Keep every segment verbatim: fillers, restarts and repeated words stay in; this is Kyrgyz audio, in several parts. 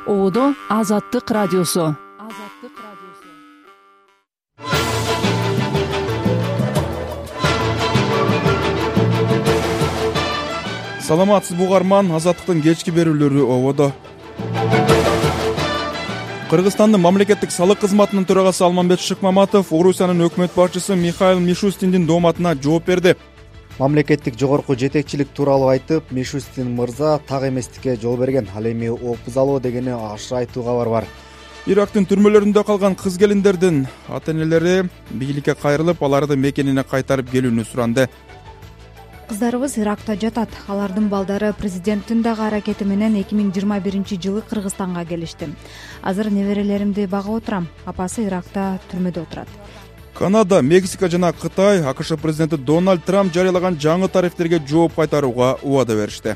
Одо Азаттык радиосу. Саламатсыз бугарман, Азаттыктын кечки берүүлөрү ободо. Кыргызстандын мамлекеттик салык кызматынын төрагасы Алмамбет Шыкмаматов Орусиянын өкмөт башчысы Михаил Мишустиндин дооматына жооп берди. Мамлекеттик жогорку жетекчилик тууралуу айтып, Мишустин мырза так эместикке жол берген. Ал эми опуз алуу дегени ашыра айтууга бар бар. Ирактын түрмөлөрүндө калган кыз келиндердин ата-энелери бийликке кайрылып, аларды мекенине кайтарып келүүнү суранды. Кыздарыбыз Иракта жатат. Алардын балдары президенттин дагы аракети менен эки миң жыйырма биринчи жылы Кыргызстанга келишти. Азыр неберелеримди багып отурам. Апасы Иракта түрмөдө отурат. Канада, Мексика жана Кытай АКШ президенти Дональд Трамп жарыялаган жаңы тарифтерге жооп кайтарууга убада беришти.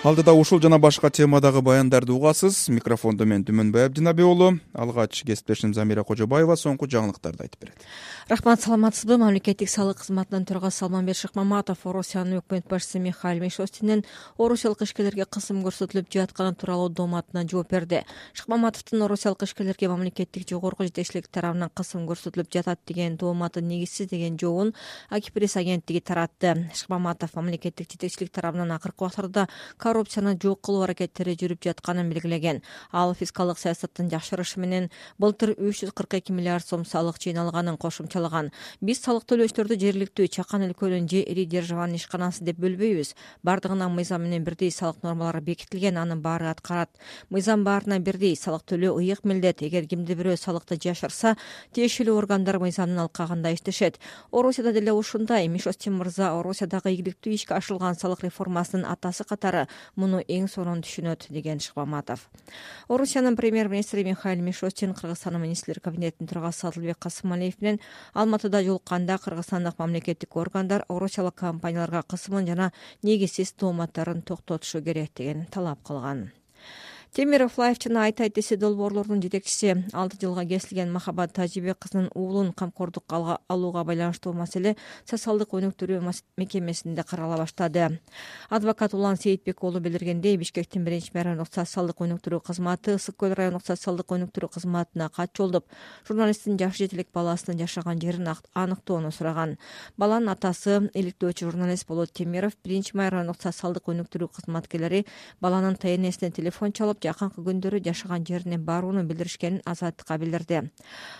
Алдыда ушул жана башка темадагы баяндарды угасыз. Микрофондо мен Түмөнбай Абдинаби уулу. Алгач кесиптешим Замира Кожобаева соңку жаңылыктарды айтып берет. Рахмат, саламатсызбы? Мамлекеттик салык кызматынын төрагасы Алмамбет Шыкмаматов Орусиянын өкмөт башчысы Михаил Мишустиндин орусиялык ишкерлерге кысым көрсөтүлүп жатканы тууралуу дооматына жооп берди. Шыкмаматовдун орусиялык ишкерлерге мамлекеттик жогорку жетекчилик тарабынан кысым көрсөтүлүп жатат деген дооматы негизсиз деген жообун Акипресс агенттиги таратты. Шыкмаматов мамлекеттик жетекчилик тарабынан акыркы убактарда коррупцияны жок кылуу аракеттери жүрүп жатканын белгилеген. Ал фискалдык саясаттын жакшырышы менен былтыр үч жүз кырк эки миллиард сом салык жыйналганын кошумчалаган. Биз салык төлөөчтөрдү жергиликтүү чакан өлкөнүн же ири державанын ишканасы деп бөлбөйбүз. Бардыгына мыйзам менен бирдей салык нормалары бекитилген, анын баары аткарат. Мыйзам баарына бирдей, салык төлөө ыйык милдет. Эгер кимди бирөө салыкты жашырса, тиешелүү органдар мыйзамдын алкагында иштешет. Орусияда деле ушундай. Мишустин мырза Орусиядагы ийгиликтүү ишке ашырылган салык реформасынын атасы катары муну эң сонун түшүнөт, деген Шыкмаматов. Орусиянын премьер-министри Михаил Мишустин Кыргызстандын министрлер кабинетинин төрагасы Адылбек Касымалиев менен Алматыда жолукканда кыргызстандык мамлекеттик органдар орусиялык компанияларга кысымын жана негизсиз тооматтарын токтотушу керек деген талап кылган. Темиров Лайф жана Айтай Теси долбоорлордун жетекчиси алты жылга кесилген Махабат Тажибек кызынын уулун камкордукка алууга байланыштуу маселе социалдык өнүктүрүү мекемесинде карала баштады. Адвокат Улан Сейитбек уулу билдиргендей, Бишкектин биринчи райондук социалдык өнүктүрүү кызматы Ысык көл райондук социалдык өнүктүрүү кызматына кат жолдоп, журналисттин жаш жетилик баласынын жашаган жерин аныктоону сураган. Баланын атасы иликтөөчү журналист Болот Темиров биринчи райондук социалдык өнүктүрүү кызматкерлери баланын ТНСине телефон чалып, жакынкы күндөрү жашаган жерине барууну билдиришкенин Азаттыкка билдирди.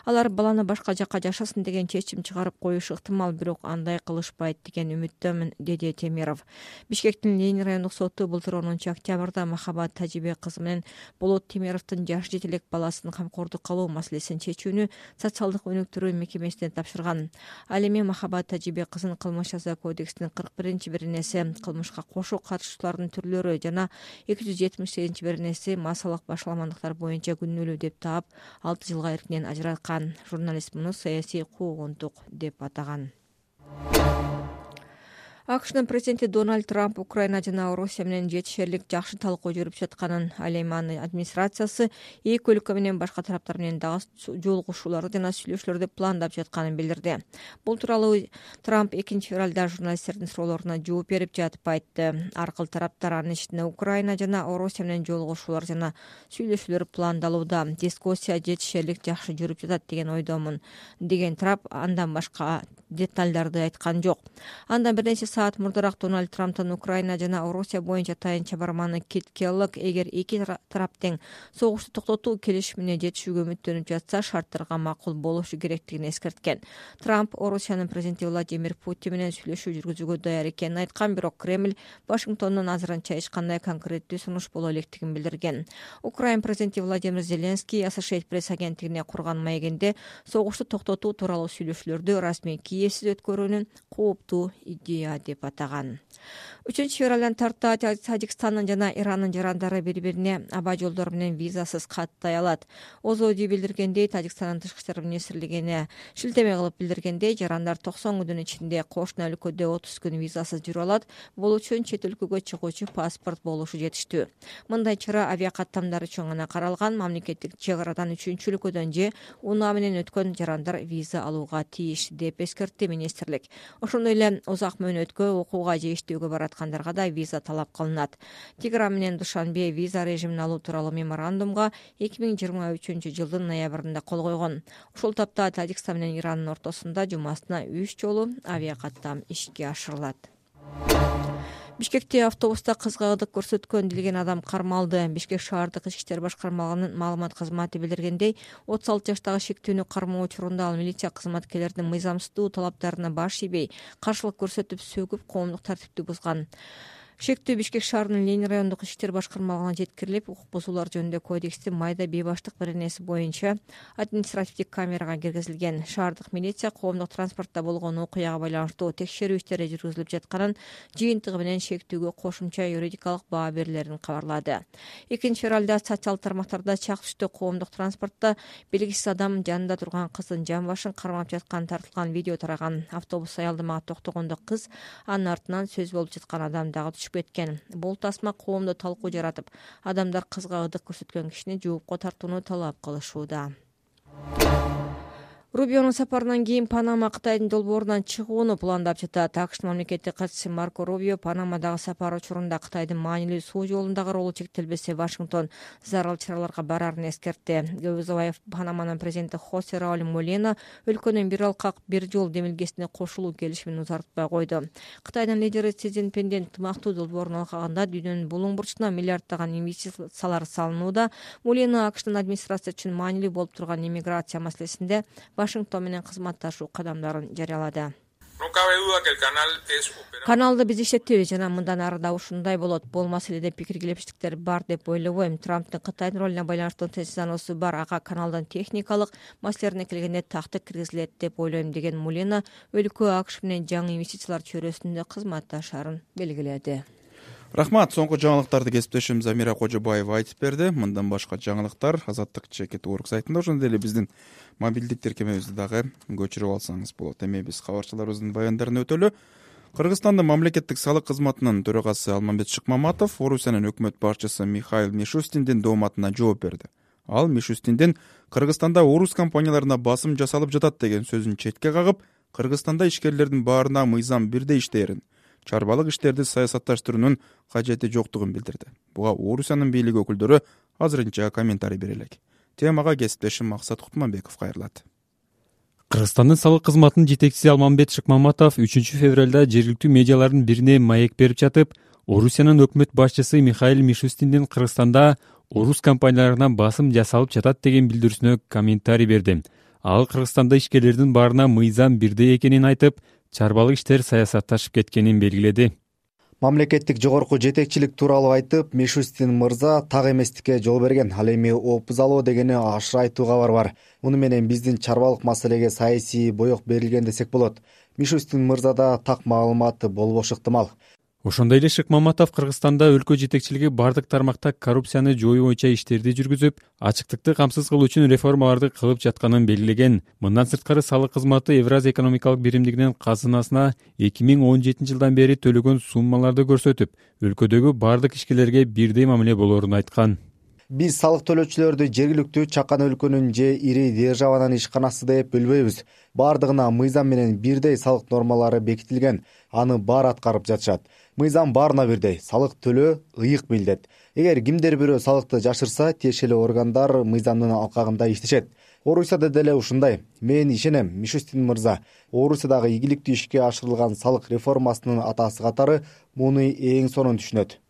Алар баланы башка жакка жашасын деген чечим чыгарып коюшу ыктымал, бирок андай кылышпайт деген үмүттөмүн, деди Темиров. Бишкектин Ленин райондук соту былтыр онунчу октябрда Махабат Тажибек кызы менен Болот Темировдун жаш жетилик баласын камкордукка алуу маселесин чечүүнү социалдык өнүктүрүү мекемесине тапшырган. Ал эми Махабат Тажибек кызын кылмыш жаза кодексинин кырк биринчи беренеси, кылмышка кошо катышуучулардын түрлөрү жана эки жүз жетимиш сегизинчи беренеси массалык башаламандыктар боюнча күнөөлүү деп таап, алты жылга эркинен ажыраткан. Журналист муну саясий куугунтук деп атаган. АКШнын президенти Дональд Трамп Украина жана Орусия менен жетишерлик жакшы талкуу жүрүп жатканын, ал эми анын администрациясы эки өлкө менен башка тараптар менен дагы жолугушууларды жана сүйлөшүүлөрдү пландап жатканын билдирди. Бул тууралуу Трамп экинчи февралда журналисттердин суроолоруна жооп берип жатып айтты. Ар кыл тараптар анын ичинде Украина жана Орусия менен жолугушуулар жана сүйлөшүүлөр пландалууда. Дискуссия жетишерлик жакшы жүрүп жатат деген ойдомун, деген Трамп андан башка деталдарды айткан жок. Андан бир нече саат мурдараак Дональд Трамптын Украина жана Орусия боюнча тайынча барманы Кит Келлог эгер эки тарап тең согушту токтотуу келишимине жетишүүгө үмүттөнүп жатса, шарттарга макул болушу керектигин эскерткен. Трамп Орусиянын президенти Владимир Путин менен сүйлөшүү жүргүзүүгө даяр экенин айткан, бирок Кремль Вашингтондон азырынча эч кандай конкреттүү сунуш боло электигин билдирген. Украина президенти Владимир Зеленский Associated Press агенттигине курган маегинде согушту токтотуу тууралуу сүйлөшүүлөрдү расмий Киевсиз өткөрүүнүн кооптуу идея деп атаган. үчүнчү февралдан тарта Тажикстандын жана Ирандын жарандары бири-бирине аба жолдору менен визасыз каттай алат. Озоди билдиргендей, Тажикстандын тышкы иштер министрлигине шилтеме кылып билдиргендей, жарандар токсон күндүн ичинде кошуна өлкөдө отуз күн визасыз жүрө алат. Бул үчүн чет өлкөгө чыгуучу паспорт болушу жетиштүү. Мындай чара авиакаттамдар үчүн гана каралган. Мамлекеттик чек арадан үчүнчү өлкөдөн же унаа менен өткөн жарандар виза алууга тийиш деп эскертти министрлик. Ошондой эле узак мөөнөт чөлдөрткө, окууга же иштөөгө бараткандарга да виза талап кылынат. Тегеран менен Душанбе виза режимин алуу тууралуу меморандумга эки миң жыйырма үчүнчү жылдын ноябрында кол койгон. Ушул тапта Тажикстан менен Ирандын ортосунда жумасына үч жолу авиакаттам ишке ашырылат. Бишкекте автобуста кызга ырдык көрсөткөн делген адам кармалды. Бишкек шаардык ички иштер башкармалыгынын маалымат кызматы билдиргендей, отуз алты жаштагы шектүүнү кармоо учурунда ал милиция кызматкерлеринин мыйзамсыздуу талаптарына баш ийбей, каршылык көрсөтүп, сөгүп, коомдук тартипти бузган. Шектүү Бишкек шаарынын Ленин райондук ички иштер башкармалыгына жеткирилип, укук бузуулар жөнүндө кодекстин майда бейбаштык беренеси боюнча административдик камерага киргизилген. Шаардык милиция коомдук транспортто болгон окуяга байланыштуу текшерүү иштери жүргүзүлүп жатканын, жыйынтыгы менен шектүүгө кошумча юридикалык баа берилерин кабарлады. Экинчи февралда социалдык тармактарда чак түштө коомдук транспортто белгисиз адам жанында турган кыздын жан башын кармап жатканы тартылган видео тараган. Автобус аялдамага токтогондо кыз анын артынан сөз болуп жаткан адам дагы кеткен. Бул тасма коомдо талкуу жаратып, адамдар кызга ырдык көрсөткөн кишини жоопко тартууну талап кылышууда. Рубионун сапарынан кийин Панама Кытайдын долбоорунан чыгууну пландап жатат. АКШтын мамлекеттик катчысы Марко Рубио Панамадагы сапары учурунда Кытайдын маанилүү суу жолундагы ролу чектелбесе, Вашингтон зарыл чараларга барарын эскертти. Көп узабай Панаманын президенти Хосе Рауль Молена өлкөнүн бир алкак бир жол демилгесине кошулуу келишимин узартпай койду. Кытайдын лидери Си Цзиньпиндин ынтымактуу долбоорун алганда дүйнөнүн булуң бурчуна миллиарддаган инвестициялар салынууда. Молена АКШтын администрация үчүн маанилүү болуп турган иммиграция маселесинде Вашингтон менен кызматташуу кадамдарын жарыялады. Каналды биз иштетебиз жана мындан ары да ушундай болот. Бул маселеде пикир келишиштиктер бар деп ойлобойм. Трамптын Кытайдын ролуна байланыштуу тезисануусу бар. Ага каналдын техникалык маселелерине келгенде такты киргизилет деп ойлойм деген Мулена өлкө АКШ менен жаңы инвестициялар чөйрөсүндө кызматташарын белгиледи. Рахмат, соңку жаңылыктарды кесиптешим Замира Кожобаева айтып берди. Мындан башка жаңылыктар Азаттык чекит орг сайтында, ошондой эле биздин мобилдик тиркемебизди дагы көчүрүп алсаңыз болот. Эми биз кабарчыларыбыздын баяндарын өтөлү. Кыргызстандын мамлекеттик салык кызматынын төрагасы Алмамбет Шыкмаматов Орусиянын өкмөт башчысы Михаил Мишустиндин дооматына жооп берди. Ал Мишустиндин Кыргызстанда орус компанияларына басым жасалып жатат деген сөзүн четке кагып, Кыргызстанда ишкерлердин баарына мыйзам бирдей иштээрин, чарбалык иштерди саясатташтыруунун кажети жоктугун билдирди. Буга Орусиянын бийлиги өкүлдөрү азырынча комментарий бере элек. Темага кесиптешим Максат Кутманбеков кайрылат. Кыргызстандын салык кызматынын жетекчиси Алмамбет Шыкмаматов үчүнчү февралда жергиликтүү медиалардын бирине маек берип жатып, Орусиянын өкмөт башчысы Михаил Мишустиндин Кыргызстанда орус компанияларына басым жасалып жатат деген билдирүүсүнө комментарий берди. Ал Кыргызстанда ишкерлердин баарына мыйзам бирдей экенин айтып, чарбалык иштер саясатташып кеткенин белгиледи. Мамлекеттик жогорку жетекчилик тууралуу айтып, Мишустин мырза так эместикке жол берген. Ал эми опуз алуу дегени ашыра айтуу кабар бар. Муну менен биздин чарбалык маселеге саясий боек берилген десек болот. Мишустин мырзада так маалыматы болбошу ыктымал. Ошондой эле Шыкмаматов Кыргызстанда өлкө жетекчилиги бардык тармакта коррупцияны жоюу боюнча иштерди жүргүзүп, ачыктыкты камсыз кылуу үчүн реформаларды кылып жатканын белгилеген. Мындан сырткары салык кызматы Евразия экономикалык биримдигинин казынасына эки миң он жетинчи жылдан бери төлөгөн суммаларды көрсөтүп, өлкөдөгү бардык ишкерлерге бирдей мамиле болоорун айткан. Биз салык төлөөчүлөрдү жергиликтүү чакан өлкөнүн же ири державанын ишканасы деп бөлбөйбүз. Бардыгына мыйзам менен бирдей салык нормалары бекитилген. Аны баары аткарып жатышат. Мыйзам баарына бирдей, салык төлөө ыйык билдет. Эгер кимдер бирөө салыкты жашырса, тиешелүү органдар мыйзамдын алкагында иштешет. Орусияда деле ушундай. Мен ишенем, Мишустин мырза Орусиядагы ийгиликтүү ишке ашырылган салык реформасынын атасы катары муну эң сонун түшүнөт.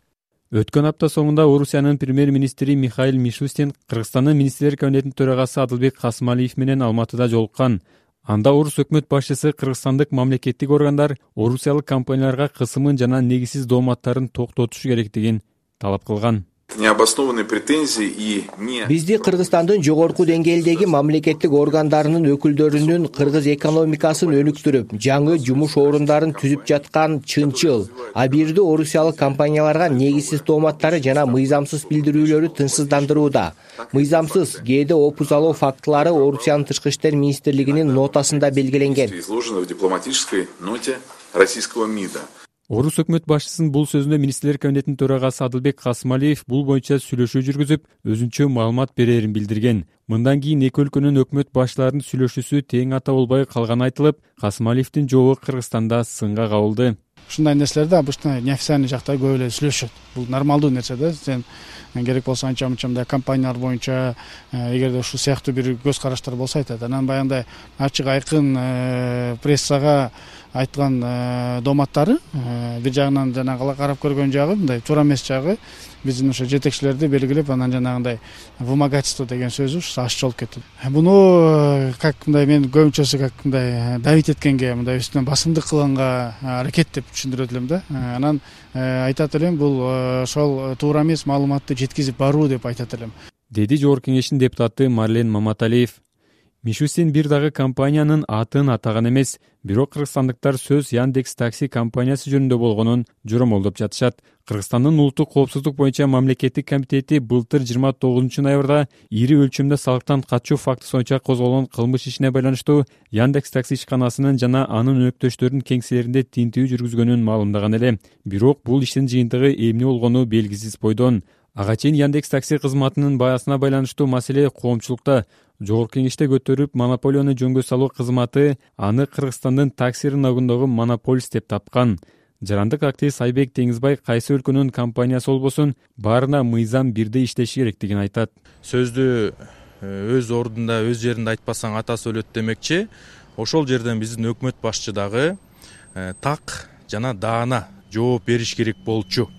Өткөн апта соңунда Орусиянын премьер-министри Михаил Мишустин Кыргызстандын министрлер кабинетинин төрагасы Адылбек Касымалиев менен Алматыда жолуккан. Анда орус өкмөт башчысы кыргызстандык мамлекеттик органдар орусиялык компанияларга кысымын жана негизсиз дооматтарын токтотушу керектигин талап кылган. Необоснованные претензии и не Бизди Кыргызстандын жогорку деңгээлдеги мамлекеттик органдарынын өкүлдөрүнүн кыргыз экономикасын өнүктүрүп, жаңы жумуш орундарын түзүп жаткан чынчыл. А бирди орусиялык компанияларга негизсиз дооматтары жана мыйзамсыз билдирүүлөрү тынчсыздандырууда. Мыйзамсыз кээде опуз алуу фактылары Орусиянын тышкы иштер министрлигинин нотасында белгиленген. изложено в дипломатической ноте российского МИДа. Орус өкмөт башчысынын бул сөзүнө министрлер кабинетинин төрагасы Адылбек Касымалиев бул боюнча сүйлөшүү жүргүзүп, өзүнчө маалымат берерин билдирген. Мындан кийин эки өлкөнүн өкмөт башчыларынын сүйлөшүүсү тең ата болбой калганы айтылып, Касымалиевдин жообу Кыргызстанда сынга кабылды. ушундай нерселерде обычно неофициальный жакта көп эле сүйлөшөт. Бул нормалдуу нерсе да. Сен керек болсо анча мынча мындай компаниялар боюнча эгерде ушул сыяктуу бир көз караштар болсо айтат. Анан баягындай ачык айкын прессага айткан дооматтары бир жагынан жанагы карап көргөн жагы мындай туура эмес жагы биздин ошо жетекчилерди белгилеп, анан жанагындай вымогательство деген сөзү ушу аччы болуп кетти. Буну как мындай мен көбүнчөсү как мындай давить эткенге, мындай үстүнөн басымдык кылганга аракет деп түшүндүрөт элем да. Анан айтат элем, бул ошол туура эмес маалыматты жеткизип баруу деп айтат элем, деди Жогорку Кеңештин депутаты Марлен Маматалиев. Мишустин бир дагы компаниянын атын атаган эмес, бирок кыргызстандыктар сөз Яндекс такси компаниясы жөнүндө болгонун жоромолдоп жатышат. Кыргызстандын улуттук коопсуздук боюнча мамлекеттик комитети былтыр жыйырма тогузунчу ноябрда ири өлчөмдө салыктан качуу фактысы боюнча козголгон кылмыш ишине байланыштуу Яндекс такси ишканасынын жана анын өнөктөштөрүнүн кеңселеринде тинтүү жүргүзгөнүн маалымдаган эле. Бирок бул иштин жыйынтыгы эмне болгону белгисиз бойдон. Ага чейин Яндекс такси кызматынын баасына байланыштуу маселе коомчулукта Жогорку Кеңеште көтөрүп, монополияны жөнгө салуу кызматы аны Кыргызстандын такси рыногундагы монополист деп тапкан. Жарандык активист Айбек Теңизбай кайсы өлкөнүн компаниясы болбосун баарына мыйзам бирдей иштеши керектигин айтат. Сөздү өз ордунда, өз жеринде айтпасаң атасы өлөт демекчи. Ошол жерден биздин өкмөт башчы дагы так жана даана жооп бериш керек болчу.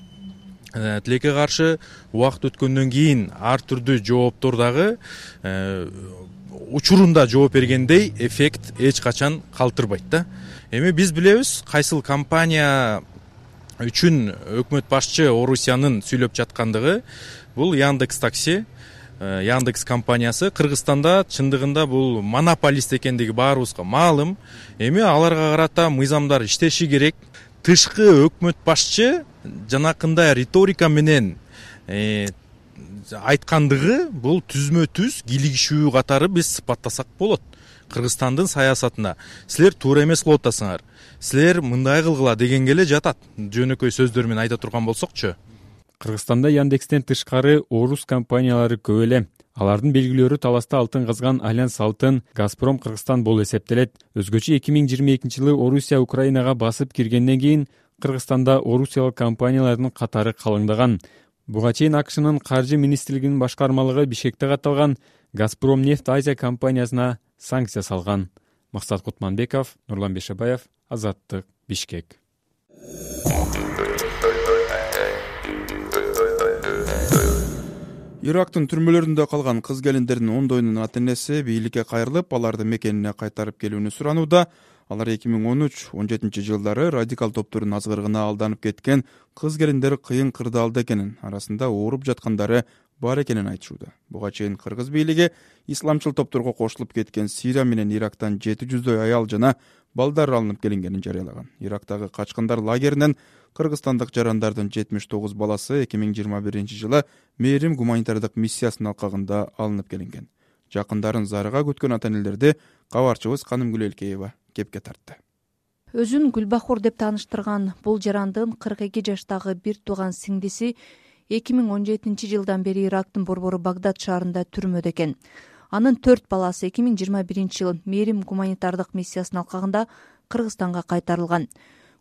Тилекке каршы убакыт өткөндөн кийин ар түрдүү жооптор дагы учурунда жооп бергендей эффект эч качан калтырбайт да. Эми биз билебиз кайсыл компания үчүн өкмөт башчы Орусиянын сүйлөп жаткандыгы. Бул Яндекс такси, Яндекс компаниясы Кыргызстанда чындыгында бул монополист экендиги баарыбызга маалым. Эми аларга карата мыйзамдар иштеши керек. Тышкы өкмөт башчы жанакындай риторика менен э, айткандыгы бул түзмө түз кийлигишүү катары биз сыпаттасак болот. Кыргызстандын саясатына силер туура эмес кылып атасыңар, силер мындай кылгыла дегенге эле жатат. Жөнөкөй сөздөр менен айта турган болсокчу. Кыргызстанда Яндекстен тышкары орус компаниялары көп эле. Алардын белгилөөрү таласта алтын казган Альянс Алтын, Газпром Кыргызстан болуп эсептелет. Өзгөчө эки миң жыйырма экинчи жылы Орусия Украинага басып киргенден кийин Кыргызстанда орусиялык компаниялардын катары калыңдаган. Буга чейин АКШнын каржы министрлигинин башкармалыгы Бишкекте катталган Газпром нефть Азия компаниясына санкция салган. Максат Кутманбеков, Нурлан Бешебаев, Азаттык, Бишкек. Ирактын түрмөлөрүндө калган кыз келиндердин ондоюнун ата-энеси бийликке кайрылып, аларды мекенине кайтарып келүүнү суранууда. Алар эки миң он үч он жетинчи жылдары радикал топтордун азгырыгына алданып кеткен кыз келиндер кыйын кырдаалда экенин, арасында ооруп жаткандары бар экенин айтышууда. Буга чейин кыргыз бийлиги исламчыл топторго кошулуп кеткен Сирия менен Ирактан жети жүздөй аял жана балдар алынып келингенин жарыялаган. Ирактагы качкындар лагеринен кыргызстандык жарандардын жетимиш тогуз баласы эки миң жыйырма биринчи жылы Мээрим гуманитардык миссиясынын алкагында алынып келинген. Жакындарын зарыга күткөн ата-энелерди кабарчыбыз Канымгүл Элкеева кепке тартты. Өзүн Гүлбахор деп тааныштырган бул жарандын кырк эки жаштагы бир тууган сиңдиси эки миң он жетинчи жылдан бери Ирактын борбору Багдад шаарында түрмөдө экен. Анын төрт баласы эки миң жыйырма биринчи жылы Мээрим гуманитардык миссиясынын алкагында Кыргызстанга кайтарылган.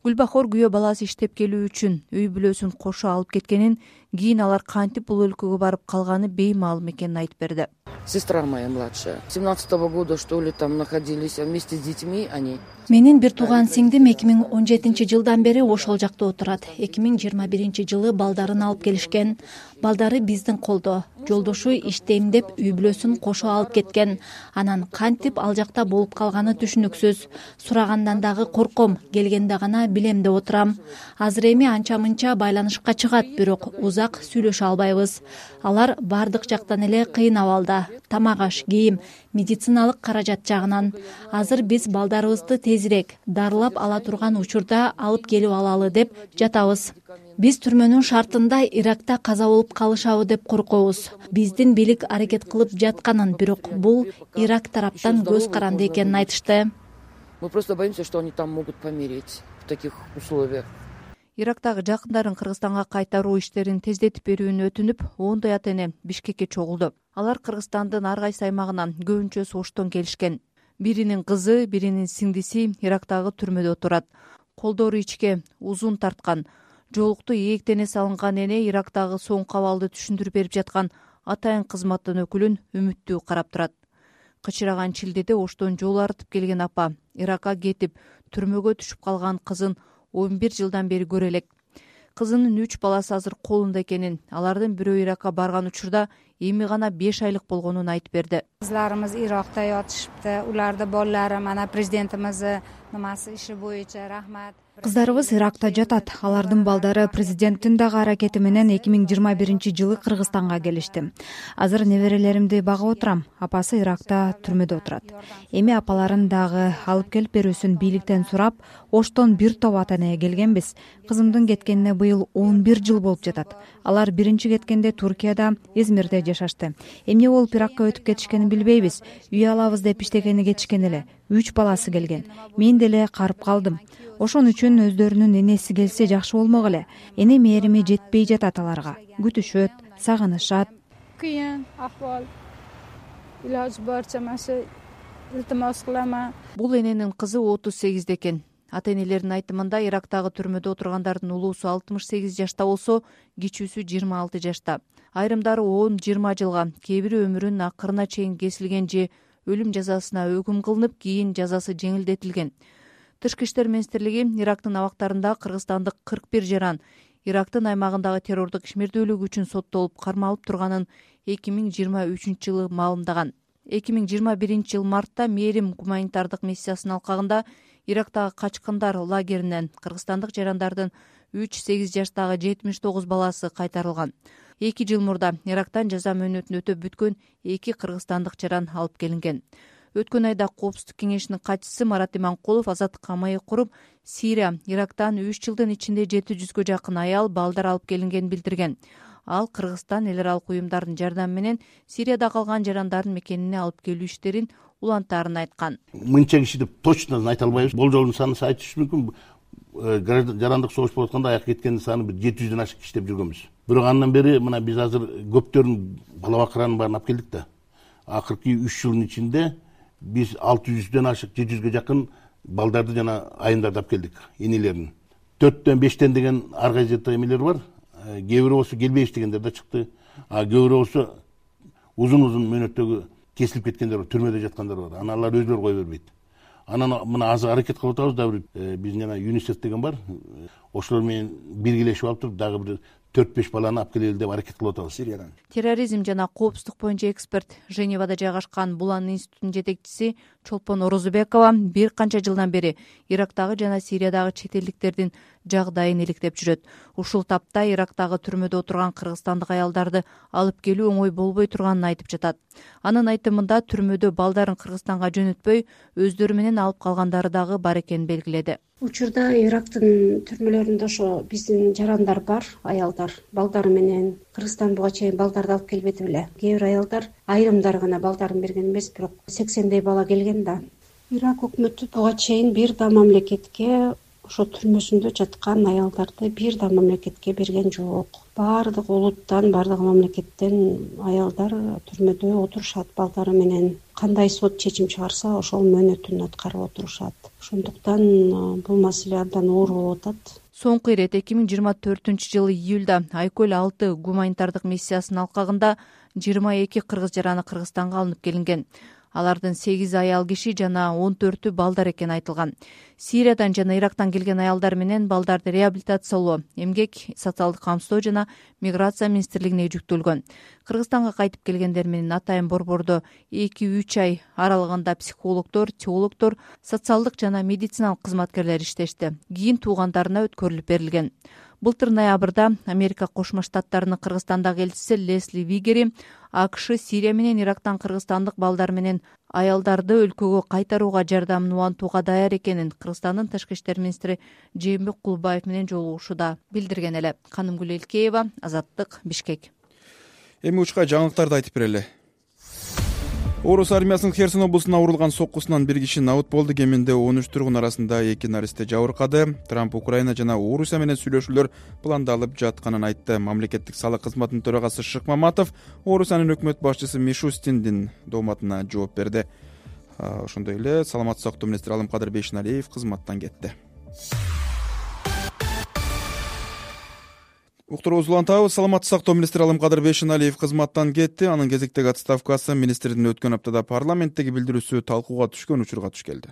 Гүлбахор күйөө баласы иштеп келүү үчүн үй бүлөсүн кошо алып кеткенин, кийин алар кантип бул өлкөгө барып калганы беймаалым экенин айтып берди. Сестра моя младшая. семнадцатого года, что ли, там находились вместе с детьми они. Менин бир тууган сиңдим эки миң он жетинчи жылдан бери ошол жакта отурат. эки миң жыйырма биринчи жылы балдарын алып келишкен. Балдары биздин колдо. Жолдошу иштейм деп үй бүлөсүн кошо алып кеткен. Анан кантип ал жакта болуп калганы түшүнүксүз. Сурагандан дагы корком, келгенде гана билем деп отурам. Азыр эми анча мынча байланышка чыгат, бирок узак сүйлөшө албайбыз. Алар бардык жактан эле кыйын абалда. Тамак аш, кийим, медициналык каражат жагынан. Азыр биз балдарыбызды тезирээк дарылап ала турган учурда алып келип алалы деп жатабыз. Биз түрмөнүн шартында Иракта каза болуп калышабы деп коркобуз. Биздин бийлик аракет кылып жатканын, бирок бул Ирак тараптан көз каранды экенин айтышты. Мы просто боимся, что они там могут помереть в таких условиях. Ирактагы жакындарын Кыргызстанга кайтаруу иштерин тездетип берүүнү өтүнүп, ондой ата-эне Бишкекке чогулду. Алар Кыргызстандын ар кайсы аймагынан көбүнчөсү Оштон келишкен. Биринин кызы, биринин сиңдиси Ирактагы түрмөдө отурат. колдору ичке узун тарткан, жоолукту ийектене салынган эне Ирактагы соңку абалды түшүндүрүп берип жаткан атайын кызматтын өкүлүн үмүттүү карап турат. Кычыраган шилдеде оштон жол артып келген апа Иракка кетип түрмөгө түшүп калган кызын он бир жылдан бери көрө элек. Кызынын үч баласы азыр колунда экенин, алардын бирөө Иракка барган учурда эми гана беш айлык болгонун айтып берди. Кызларыбыз Иракта жатышыпты. Уларды балдары мана президентимиздин намасы иши боюнча рахмат. Кыздарыбыз Иракта жатат. Алардын балдары президенттин дагы аракети менен эки миң жыйырма биринчи жылы Кыргызстанга келишти. Азыр неберелеримди багып отурам. Апасы Иракта түрмөдө отурат. Эми апаларын дагы алып келип берүүсүн бийликтен сурап, Оштон бир топ ата эне келгенбиз. Кызымдын кеткенине быйыл он бир жыл болуп жатат. Алар биринчи кеткенде Туркияда, Измирде жашашты. Эмне болуп Иракка өтүп кетишкенин билбейбиз. Үй алабыз деп иштегени кетишкен эле. Үч баласы келген. Мен деле карып калдым. Ошон үчүн өздөрүнүн энеси келсе жакшы болмок эле. Эне мээрими жетпей жатат аларга. Күтүшөт, сагынышат. Кыйын акыбал. Илаж барча машы илтимос кылам. Бул эненин кызы отуз сегизде экен. Ата энелердин айтымында Ирактагы түрмөдө отургандардын улуусу алтымыш сегиз жашта болсо, кичүүсү жыйырма алты жашта. Айрымдары он жыйырма жылга, кээ бири өмүрүнүн акырына чейин кесилген же өлүм жазасына өкүм кылынып, кийин жазасы жеңилдетилген. Тышкы иштер министрлиги Ирактын абактарында кыргызстандык кырк бир жаран Ирактын аймагындагы террордук ишмердүүлүк үчүн соттолуп кармалып турганын эки миң жыйырма үчүнчү жылы маалымдаган. эки миң жыйырма биринчи жыл мартта Мээрим гуманитардык миссиясынын алкагында Ирактагы качкындар лагеринен кыргызстандык жарандардын үч сегиз жаштагы жетимиш тогуз баласы кайтарылган. эки жыл мурда Ирактан жаза мөөнөтүн өтөп бүткөн эки кыргызстандык жаран алып келинген. Өткөн айда Коопсуздук кеңешинин катчысы Марат Иманкулов азаттыкка маек куруп, Сирия, Ирактан үч жылдын ичинде жети жүзгө жакын аял, балдар алып келингенин билдирген. Ал Кыргызстан эл аралык уюмдардын жардамы менен Сирияда калган жарандардын мекенине алып келүү иштерин улантаарын айткан. Мынча киши деп точно айта албайбыз. Болжолдун санын айтыш мүмкүн. Жарандык согуш болуп атканда аяк кеткендин саны бир жети жүздөн ашык киши деп жүргөнбүз. Бирок андан бери мына биз азыр көптөрүн бала бакыранын баарын алып келдик да. Акыркы үч жылдын ичинде биз алты жүздөн ашык, жети жүзгө жакын балдарды жана айымдарды алып келдик, энелерин. төрттөн бештен деген ар кайсы эмелер бар. Кээ бири болсо келбей иштегендер да чыкты. А кээ бири болсо узун-узун мөөнөттөгү кесилип кеткендер бар, түрмөдө жаткандар бар. Анан алар өзүлөрү кое бербейт. Анан мына азыр аракет кылып атабыз да, бир биздин жана ЮНИСЕФ деген бар. Ошолор менен биргелешип алып туруп дагы бир төрт беш баланы алып келели деп аракет кылып атабыз Сириядан. Терроризм жана коопсуздук боюнча эксперт, Женевада жайгашкан Булан институтунун жетекчиси Чолпон Орозубекова бир канча жылдан бери Ирактагы жана Сириядагы чет элдиктердин жагдайын иликтеп жүрөт. Ушул тапта Ирактагы түрмөдө отурган кыргызстандык аялдарды алып келүү оңой болбой турганын айтып жатат. Анын айтымында түрмөдө балдарын Кыргызстанга жөнөтпөй, өздөрү менен алып калгандары дагы бар экенин белгиледи. Учурда Ирактын түрмөлөрүндө ошо биздин жарандар бар, аялдар, балдары менен Кыргызстан буга чейин балдарды алып келбеди беле. Кээ бир аялдар айрымдар гана балдарын берген эмес, бирок сексендей бала келген да. Ирак өкмөтү буга чейин бир да мамлекетке ошо түрмөсүндө жаткан аялдарды бир да мамлекетке берген жок. Баардык улуттан, баардык мамлекеттен аялдар түрмөдө отурушат балдары менен. Кандай сот чечим чыгарса, ошол мөөнөтүн аткарып отурушат. Ошондуктан бул маселе абдан оор болуп атат. Соңку ирет эки миң жыйырма төртүнчү жылы июлда Айкөл алты гуманитардык миссиясынын алкагында жыйырма эки кыргыз жараны Кыргызстанга алынып келинген. Алардын сегиз аял киши жана он төртү балдар экени айтылган. Сириядан жана Ирактан келген аялдар менен балдарды реабилитациялоо, эмгек, социалдык камсыздоо жана миграция министрлигине жүктөлгөн. Кыргызстанга кайтып келгендер менен атайын борбордо эки үч ай аралыгында психологдор, теологдор, социалдык жана медициналык кызматкерлер иштешти. Кийин туугандарына өткөрүлүп берилген. Былтыр ноябрда Америка Кошмо Штаттарынын Кыргызстандагы элчиси Лесли Вигери АКШ Сирия менен Ирактан кыргызстандык балдар менен аялдарды өлкөгө кайтарууга жардамын улантууга даяр экенин Кыргызстандын тышкы иштер министри Жээнбек Кулбаев менен жолугушууда билдирген эле. Канымгүл Элкеева, Азаттык, Бишкек. Эми учка жаңылыктарды айтып берели. Орус армиясынын Херсон облусуна урулган соккусунан бир киши набыт болду. Кеминде он үч тургун арасында эки наристе жабыркады. Трамп Украина жана Орусия менен сүйлөшүүлөр пландалып жатканын айтты. Мамлекеттик салык кызматынын төрагасы Шыкмаматов Орусиянын өкмөт башчысы Мишустиндин дооматына жооп берди. Ошондой эле саламаттык сактоо министри Алымкадыр Бейшеналиев кызматтан кетти. уктуруубузду улантабыз. Саламаттык сактоо министри Алымкадыр Бейшеналиев кызматтан кетти. Анын кезектеги отставкасы министрдин өткөн аптада парламенттеги билдирүүсү талкууга түшкөн учурга туш келди.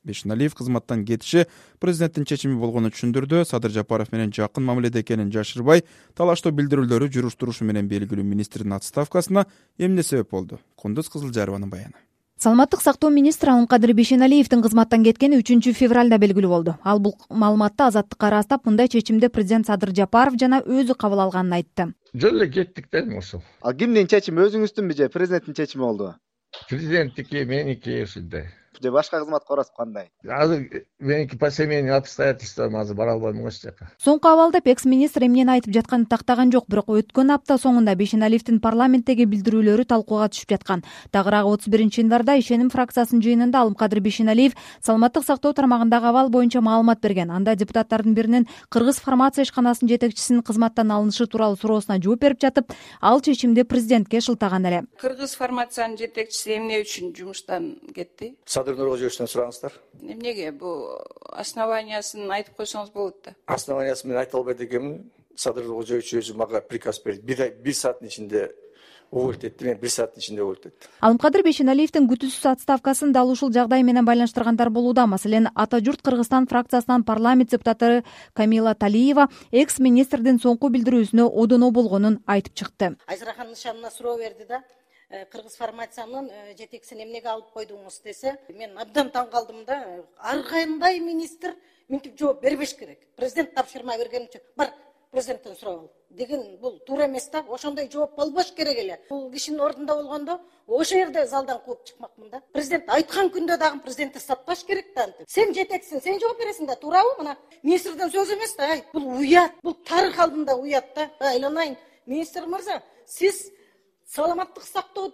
Бейшеналиев кызматтан кетиши президенттин чечими болгонун түшүндүрдү. Садыр Жапаров менен жакын мамиледе экенин жашырбай, талаштоо билдирүүлөрү жүрүштүрүшу менен белгилүү министрдин отставкасына эмне себеп болду? Кундуз Кызылжарованын баяны. Саламаттык сактоо министри Алымкадыр Бейшеналиевдин кызматтан кеткени үчүнчү февралда белгилүү болду. Ал бул маалыматты Азаттыкка ырастап, мындай чечимди президент Садыр Жапаров жана өзү кабыл алганын айтты. Жөн эле кеттик да ошол. Ал кимдин чечими, өзүңүздүнбү же президенттин чечими болдубу? Президенттики, меники ушундай. Же башка кызматка барасыз кандай? Азыр меники по семейным обстоятельствам азыр бара албайм ошол жака. Соңку абалда экс-министр эмнени айтып жатканын тактаган жок, бирок өткөн апта соңунда Бейшеналиевдин парламенттеги билдирүүлөрү талкууга түшүп жаткан. Тагыраагы отуз биринчи январда Ишеним фракциясынын жыйынында Алымкадыр Бейшеналиев саламаттык сактоо тармагындагы абал боюнча маалымат берген. Анда депутаттардын биринин Кыргыз фармация ишканасынын жетекчисинин кызматтан алынышы тууралуу суроосуна жооп берип жатып, ал чечимди президентке шылтаган эле. Кыргыз фармациянын жетекчиси эмне үчүн жумуштан кетти? Садыр Нуркожоевичтен сураңыздар. Эмнеге? Бул основаниясын айтып койсоңуз болот да. Основаниясын мен айта албайт экенмин. Садыр Нуркожоевич өзү мага приказ берди. Бир бир сааттын ичинде уволить этти, мен бир сааттын ичинде уволить эттим. Алымкадыр Бейшеналиевдин күтүүсүз отставкасын дал ушул жагдай менен байланыштыргандар болууда. Маселен, Ата журт Кыргызстан фракциясынан парламент депутаты Камила Талиева экс-министрдин соңку билдирүүсүнө одоно болгонун айтып чыкты. Айзарахан Нышанына суроо берди да, Кыргыз фармациянын жетекчисин эмнеге алып койдуңуз десе, мен абдан таң калдым да. Ар кандай министр мынтип жооп бербеш керек. Президент тапшырма берген үчүн бар президенттен сурап ал деген бул туура эмес да. Ошондой жооп болбош керек эле. Бул кишинин ордунда болгондо ошол жерде залдан кууп чыкмакмын да. Президент айткан күндө дагы президентти сатпаш керек да. Сен жетексиң, сен жооп бересиң да, туурабы? Мына министрден сөз эмес да. Ай, бул уят, бул тарых алдында уят да. Айланайын, министр мырза, сиз саламаттык сактоо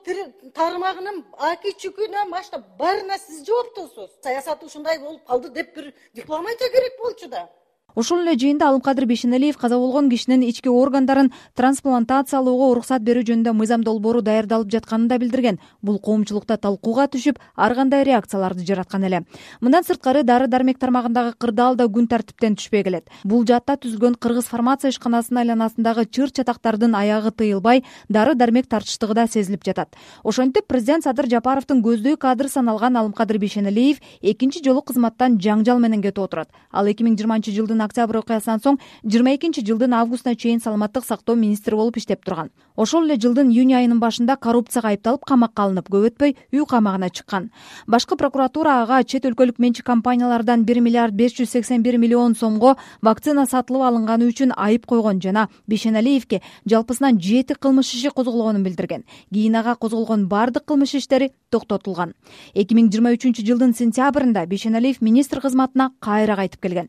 тармагынын аки чүкүнөн баштап баарына сиз жооптусуз. Саясат ушундай болуп калды деп бир диплом айта керек болчу да. Ошол эле жыйында Алымкадыр Бейшеналиев каза болгон кишинин ички органдарын трансплантациялоого уруксат берүү жөнүндө мыйзам долбоору даярдалып жатканын да билдирген. Бул коомчулукта талкууга түшүп, ар кандай реакцияларды жараткан эле. Мындан сырткары дары-дармек тармагындагы кырдаал да күн тартиптен түшпөй келет. Бул жаатта түзүлгөн Кыргыз фармация ишканасынын айланасындагы чыр-чатактардын аягы тыйылбай, дары-дармек тартыштыгы да сезилип жатат. Ошентип президент Садыр Жапаровдун көздөй кадры саналган Алымкадыр Бейшеналиев экинчи жолу кызматтан жаңжал менен кетип отурат. Ал эки миң жыйырманчы жылдын октябрь окуясынан соң жыйырма экинчи жылдын августуна чейин саламаттык сактоо министри болуп иштеп турган. Ошол эле жылдын июнь айынын башында коррупцияга айыпталып камакка алынып, көп өтпөй үй камагына чыккан. Башкы прокуратура ага чет өлкөлүк менчик компаниялардан бир миллиард беш жүз сексен бир миллион сомго вакцина сатылып алынганы үчүн айып койгон жана Бейшеналиевге жалпысынан жети кылмыш иши козголгонун билдирген. Кийин ага козголгон бардык кылмыш иштери токтотулган. эки миң жыйырма үчүнчү жылдын сентябрында Бейшеналиев министр кызматына кайра кайтып келген.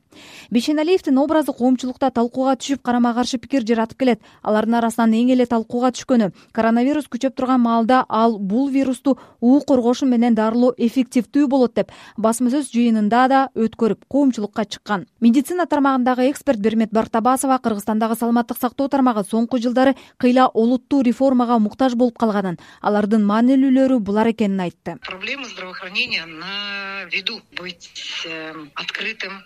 Бейшеналиевдин образы коомчулукта талкууга түшүп, карама каршы пикир жаратып келет. Алардын арасынан эң эле талкууга түшкөнү коронавирус күчөп турган маалда ал бул вирусту уу коргошу менен дарылоо эффективдүү болот деп басма сөз жыйынында да өткөрүп коомчулукка чыккан. Медицина тармагындагы эксперт Бермет Бартабасова Кыргызстандагы саламаттык сактоо тармагы соңку жылдары кыйла олуттуу реформага муктаж болуп калганын, алардын маанилүүлөрү булар экенин айтты. Проблема здравоохранения на виду, быть открытым.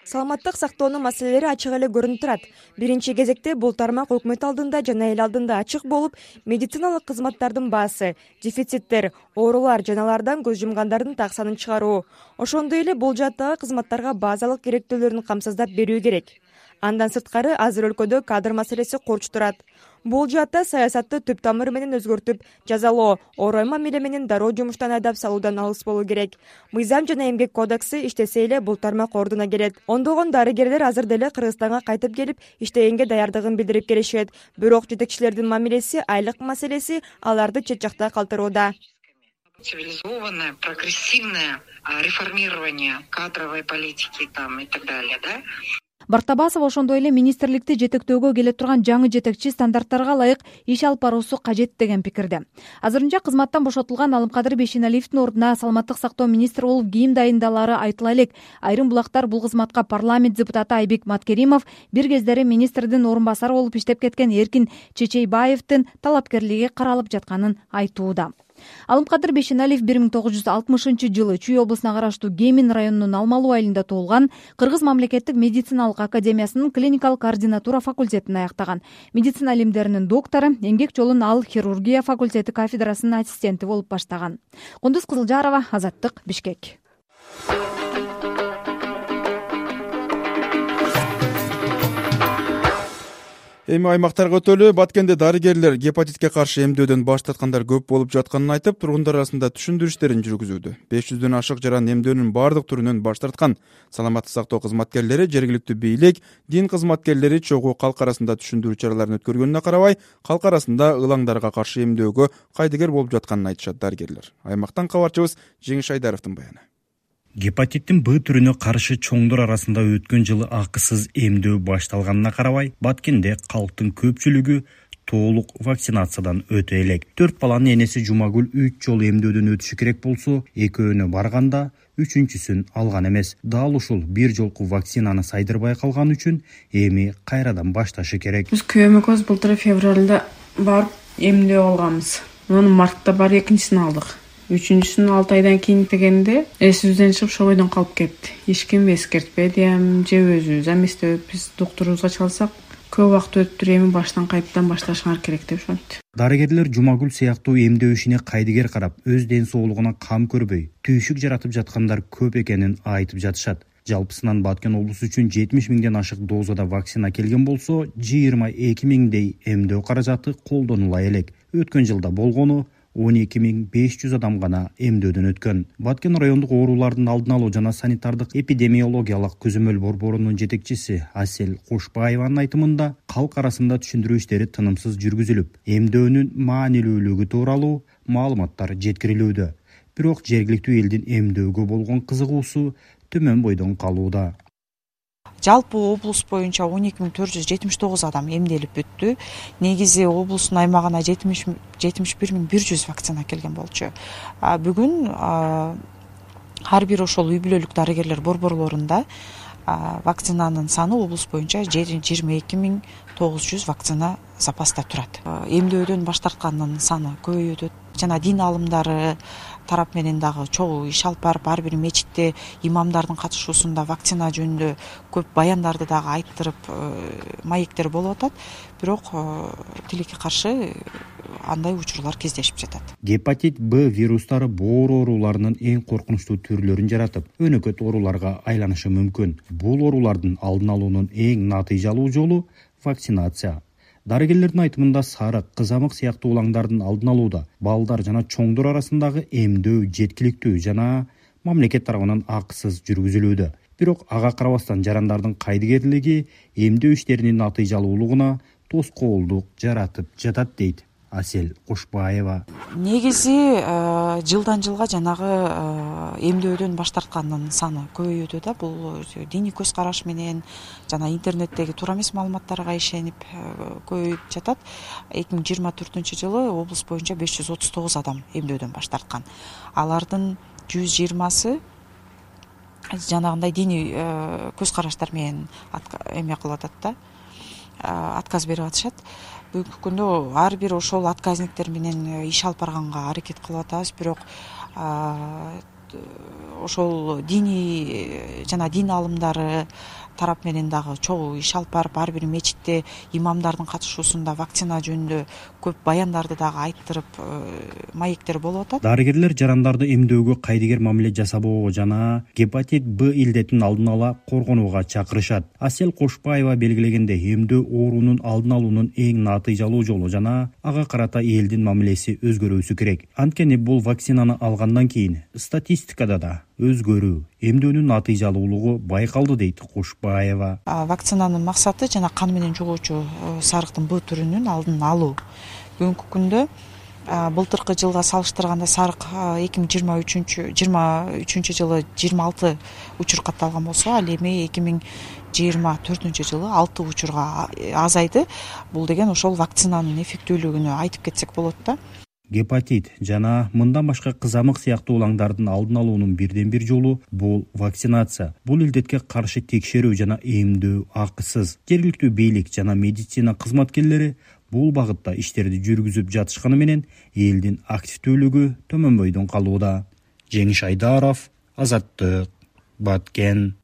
Саламаттык сактоонун маселелери ачык эле көрүнүп турат. Биринчи кезекте бул тармак өкмөт алдында жана эл алдында ачык болуп, медициналык кызматтардын баасы, дефициттер, оорулар жана алардан көз жумгандардын так санын чыгаруу. Ошондой эле бул жааттагы кызматтарга базалык керектүүлөрүн камсыздап берүү керек. Андан сырткары азыр өлкөдө кадр маселеси корч турат. Бул жаатта саясатты түп тамыры менен өзгөртүп, жазалоо, орой мамиле менен дароо жумуштан айдап салуудан алыс болуу керек. Мыйзам жана эмгек кодекси иштесе эле бул тармак ордуна келет. Ондогон дарыгерлер азыр деле Кыргызстанга кайтып келип, иштегенге даярдыгын билдирип келишет. Бирок жетекчилердин мамилеси, айлык маселеси аларды чет жакта калтырууда. Цивилизованное, прогрессивное реформирование кадровой политики там и так далее, да? Бартабасов ошондой эле министрликти жетектөөгө келе турган жаңы жетекчи стандарттарга ылайык иш алып баруусу кажет деген пикирде. Азырынча кызматтан бошотулган Алымкадыр Бейшеналиевдин ордуна саламаттык сактоо министри болуп кийим дайындалары айтыла элек. Айрым булактар бул кызматка парламент депутаты Айбек Маткеримов, бир кездери министрдин орун басары болуп иштеп кеткен Эркин Чечейбаевдин талапкерлиги каралып жатканын айтууда. Алымкадыр Бешеналиев бир миң тогуз жүз алтымышынчы жылы Чүй облусуна караштуу Кемин районунун Алмалуу айылында туулган. Кыргыз мамлекеттик медициналык академиясынын клиникалык координатура факультетин аяктаган. Медицина илимдеринин доктору, эмгек жолун ал хирургия факультети кафедрасынын ассистенти болуп баштаган. Кундуз Кызылжарова, Азаттык, Бишкек. Эми аймактарга өтөлү. Баткенде дарыгерлер гепатитке каршы эмдөөдөн баш тарткандар көп болуп жатканын айтып, тургундар арасында түшүндүрүштерин жүргүзүүдө. беш жүздөн ашык жаран эмдөөнүн бардык түрүнөн баш тарткан. Саламаттык сактоо кызматкерлери, жергиликтүү бийлик, дин кызматкерлери чогуу калк арасында түшүндүрүү чараларын өткөргөнүнө карабай, калк арасында ылаңдарга каршы эмдөөгө кайдыгер болуп жатканын айтышат дарыгерлер. Аймактан кабарчыбыз Жеңиш Айдаровдун баяны. Гепатиттин Б түрүнө каршы чоңдор арасында өткөн жылы акысыз эмдөө башталганына карабай, Баткенде калктын көпчүлүгү толук вакцинациядан өтө элек. Төрт баланын энеси Жумагүл үч жолу эмдөөдөн өтүшү керек болсо, экөөнө барганда үчүнчүсүн алган эмес. Дал ушул бир жолку вакцинаны сайдырбай калган үчүн эми кайрадан башташы керек. Биз күйөөмө былтыр февралда барып эмдөө алганбыз. Муну мартта барып экинчисин алдык. Үчүнчүсүн алты айдан кийин дегенде эсибизден чыгып ошол бойдон калып кетти. Эч ким эскертпеди, же өзүбүз эместебиз. Биз доктурубузга чалсак, көп убакыт өтүп эми баштан кайтадан башташыңар керек деп ошонту. Дарыгерлер Жумагүл сыяктуу эмдөө ишине кайдыгер карап, өз ден соолугуна кам көрбөй, түйшүк жаратып жаткандар көп экенин айтып жатышат. Жалпысынан Баткен облусу үчүн жетимиш миңден ашык дозада вакцина келген болсо, жыйырма эки миңдей эмдөө каражаты колдонула элек. Өткөн жылда болгону он эки миң беш жүз адам гана эмдөөдөн өткөн. Баткен райондук оорулардын алдын алуу жана санитардык эпидемиологиялык көзөмөл борборунун жетекчиси Асель Кошбаеванын айтымында, калк арасында түшүндүрүү иштери тынымсыз жүргүзүлүп, эмдөөнүн маанилүүлүгү тууралуу маалыматтар жеткирилүүдө. Бирок жергиликтүү элдин эмдөөгө болгон кызыгуусу төмөн бойдон калууда. Жалпы облус боюнча он эки миң төрт жүз жетимиш тогуз адам эмделип бүттү. Негизи облустун аймагына жетимиш бир миң бир жүз вакцина келген болчу. Бүгүн ар бир ошол үй бүлөлүк дарыгерлер борборлорунда вакцинанын саны облус боюнча жыйырма эки миң тогуз жүз вакцина запаста турат. Эмдөөдөн баш тарткандын саны көбөйүп атат. Жана дин алымдары тарап менен дагы чогуу иш алып барып, ар бир мечитте имамдардын катышуусунда вакцина жөнүндө көп баяндарды дагы айттырып, маектер болуп атат. Бирок тилекке каршы андай учурлар кездешип жатат. Гепатит Б вирустары боор ооруларынын эң коркунучтуу түрлөрүн жаратып, өнөкөт ооруларга айланышы мүмкүн. Бул оорулардын алдын алуунун эң натыйжалуу жолу вакцинация. Дарыгерлердин айтымында сарык, кызамык сыяктуу улаңдардын алдын алууда балдар жана чоңдор арасындагы эмдөө жеткиликтүү жана мамлекет тарабынан акысыз жүргүзүлүүдө. Бирок ага карабастан жарандардын кайдыгерлиги эмдөө иштеринин натыйжалуулугуна тоскоолдук жаратып жатат дейт Асель Кошбаева. Негизи жылдан жылга жанагы эмдөөдөн баш тарткандын саны көбөйүүдө да. Бул диний көз караш менен жана интернеттеги туура эмес маалыматтарга ишенип көбөйүп жатат. эки миң жыйырма төртүнчү жылы облус боюнча беш жүз отуз тогуз адам эмдөөдөн баш тарткан. Алардын жүз жыйырмасы жанагындай диний көз караштар менен эме кылып атат да, отказ берип атышат. Бүгүнкү күндө ар бир ошол отказниктер менен иш алып барганга аракет кылып атабыз, бирок ошол диний жана дин алымдары тарап менен дагы чогуу иш алып барып, ар бир мечитте имамдардын катышуусунда вакцина жөнүндө көп баяндарды дагы айттырып, маектер болуп атат. Дарыгерлер жарандарды эмдөөгө кайдыгер мамиле жасабоого жана гепатит Б илдетин алдын ала коргонууга чакырышат. Асель Кошбаева белгилегенде, эмдөө оорунун алдын алуунун эң натыйжалуу жолу жана ага карата элдин мамилеси өзгөрүүсү керек. Анткени бул вакцинаны алгандан кийин статистикада да өзгөрүү, эмдөөнүн натыйжалуулугу байкалды дейт Кошбаева. Вакцинанын максаты жана кан менен жугуучу сарыктын Б түрүнүн алдын алуу. Бүгүнкү күндө былтыркы жылга салыштырганда сарык эки миң жыйырма үчүнчү жылы жыйырма алты учур катталган болсо, ал эми эки миң жыйырма төртүнчү жылы алты учурга азайды. Бул деген ошол вакцинанын эффектүүлүгүнө айтып кетсек болот да. гепатит жана мындан башка кызамык сыяктуу улаңдардын алдын алуунун бирден бир жолу бул вакцинация. Бул илдетке каршы текшерүү жана эмдөө акысыз. Жергиликтүү бийлик жана медицина кызматкерлери бул багытта иштерди жүргүзүп жатышканы менен элдин активдүүлүгү төмөнбөйдөн калууда. Жеңиш Айдаров, Азаттык, Баткен.